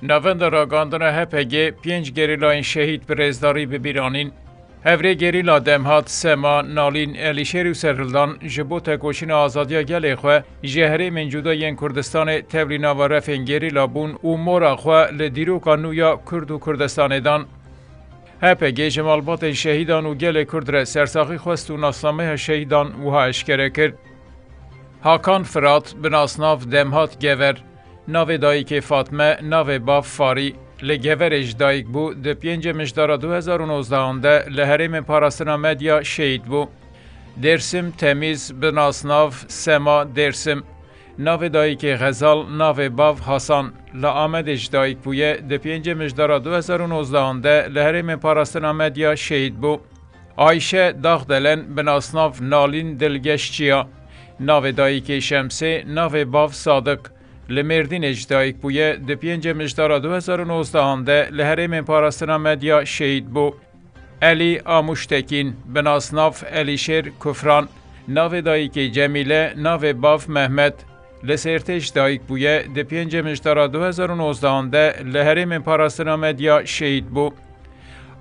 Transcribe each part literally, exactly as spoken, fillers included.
Navenda ragandina H P G pênc gerîlayên şehîd bi rêzdarî bi bîr anîn. Hevrê gerîla Demhat, Sema, Nalîn, Elîşêr û Serhildan ji bo tekoşîna azadiya gelê xwe ji herêmên cuda yên Kurdistanê tevlî nava refên gerîla bûn û mora xwe li dîroka nû ya Kurd û Kurdistanê dan. H P G ji malbatên şehîdan û gelê Kurd re sersaxî xwest û nasnameya şehîdan wiha eşkere kir. Hakan Firat, bi nasnav Demhat Gever, navê dayikê Fatme, navê bav Farî, li Geverê ji dayik bû, di pêncê Mijdara du hezar û nozdehan de li herêmên parastina Medya şehîd bû. Dêrsim Temîz, bi nasnav Sema Dêrsim, navê dayikê Xezal, navê bav Hasan, li Amedê ji dayik bûye, di pêncê Mijdara du hezar û nozdehan de li herêmên parastina Medya şehîd bû. Ayşe Daxdelen, bi nasnav Nalîn Dilgeş Çiya, navê dayikê Şemsê, navê bav Sadik, li Mêrdînê ji dayik bûye, di pêncê Mijdara du hezar û nozdehan de li herêmên parastina Medya şehîd bû. Elî Amûştekîn, bi nasnav Elîşêr Kufran, navê dayikê Cemîle, navê bav Mehmet, li Sêrtê ji dayik bûye, di pêncê Mijdara du hezar û nozdehan de li herêmên parastina Medya şehîd bû.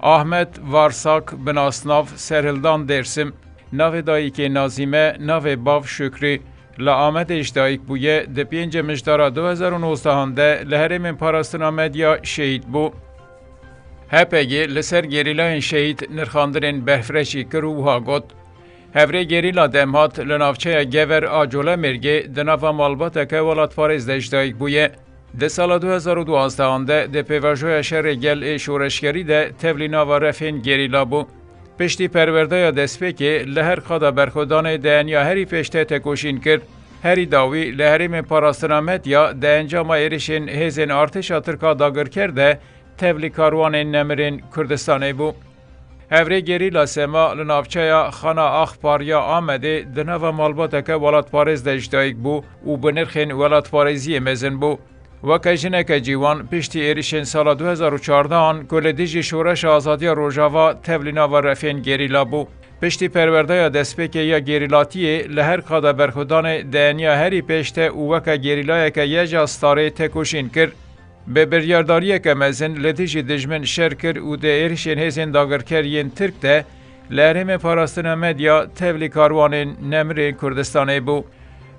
Ahmet Varsak, bi nasnav Serhildan Dêrsim, navê dayikê Nazîme, navê bav Şukrî, li Amedê ji dayik bûye, di pêncê Mijdara du hezar û nozdehan de li herêmên parastina Medya şehîd bû. H P G li ser gerîlayên şehîd nirxandinên berfirehî kir û wiha got, Hevrê gerîla Demhat li navçeya Gever a Colemêrgê di nava malbateke welatparêz de ji dayik bûye. Di sala du hezar û duwazdeh de di pêvajoya şerê gel ê şoreşgerî de tevlî nava refên gerîla bû. Piştî perwerdeya destpêkê li her qada berxwedanê dayaniya herî pêş te tekoşîn kir. Herî dawî li herêmên parastina Medya di encama êrişên hêzên artêşa Tirk a dagirker de tevlî karwanên nemirên Kurdistanê bû. Hevrê gerîla Sema li navçeya Xana Axpar ya Amedê di nava malbateke welatparêz de ji dayik bû û bi nirxên welatparêziyê mezin bû. Weke jineke ciwan piştî êrişên sala du hezar û çardeh an ku li dijî Şoreşa Azadiya Rojava tevlî nava refên gerîla bû. Piştî perwerdeya destpêkê ya gerîlatiyê li her qada berxwedanê dayaniya herî pêş te û weke gerîlayeke YJA Starê tekoşîn kir. Bi biryardariyeke mezin li dijî dijmin şer kir û di êrişên hêzên dagirker yên Tirk de li herêmê parastina Medya tevlî karwanên nemirên Kurdistanê bû.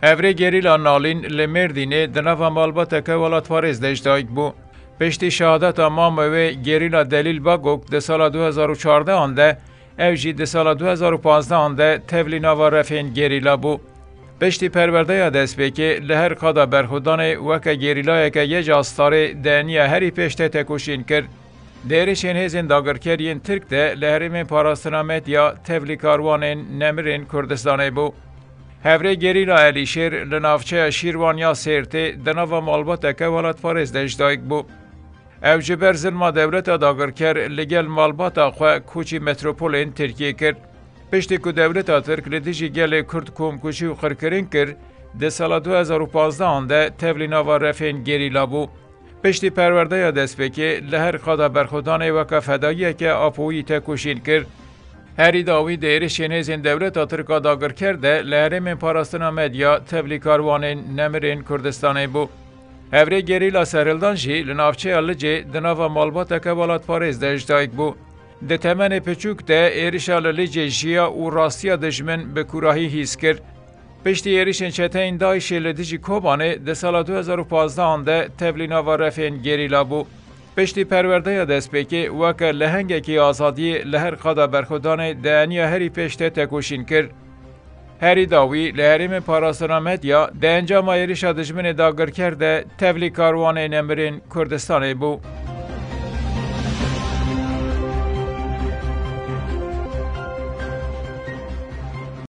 Hevrê gerîla Nalîn li Mêrdînê di nava malbateke welatparêz de ji dayik bû. Piştî şehadeta mama wê gerîla Delîl Bagok di sala du hezar û çardeh an de, ew jî di sala du hezar û panzdeh an de tevlî nava refên gerîla bû. Piştî perwerdeya destpêkê li her qada berxwedanê weke gerîlayeke YJA Starê dayaniya herî pêş te tekoşîn kir. Di êrişên hêzên dagirker yên Tirk de li herêmên parastina Medya tevlî karwanên nemirên Kurdistanê bû. Hevrê gerîla Elîşêr li navçeya Şîrwan ya Sêrtê di nava malbateke welatparêz de ji dayik bû. Ew ji ber zilma dewleta dagirker li gel malbata xwe koçî metropolên Tirkiyê kir. Piştî ku dewleta Tirk li dijî gelê Kurd komkujî û qirkirin kir, di sala du hezar û panzdeh an de tevlî nava refên gerîla bû. Piştî perwerdeya destpêkê li her qada berxwedanê weke fedayiyeke apoyî tekoşîn kir. Herî dawî di êrişên hêzên dewleta Tirk a dagirker de li herêmên parastina Medya tevlî karwanên nemirên Kurdistanê bû. Hevrê gerîla Serhildan jî li navçeya Licê di nava malbateke welatparêz de ji dayik bû. Di temenê piçûk de êrişa li Licê jiya û rastiya dijmin bi kûrahî hîs kir. Piştî êrişên çeteyên DAIŞê li dijî Kobanê di sala du hezar û panzdeh an de tevlî nava refên gerîla bû. Piştî perwerdeya destpêkê weke lehengekî azadiyê li her qada berxwedanê dayaniya herî pêş te tekoşîn kir. Herî dawî li herêmên parastina Medya di encama êrişa dijminê dagirker de tevlî karwanê nemirên Kurdistanê bû.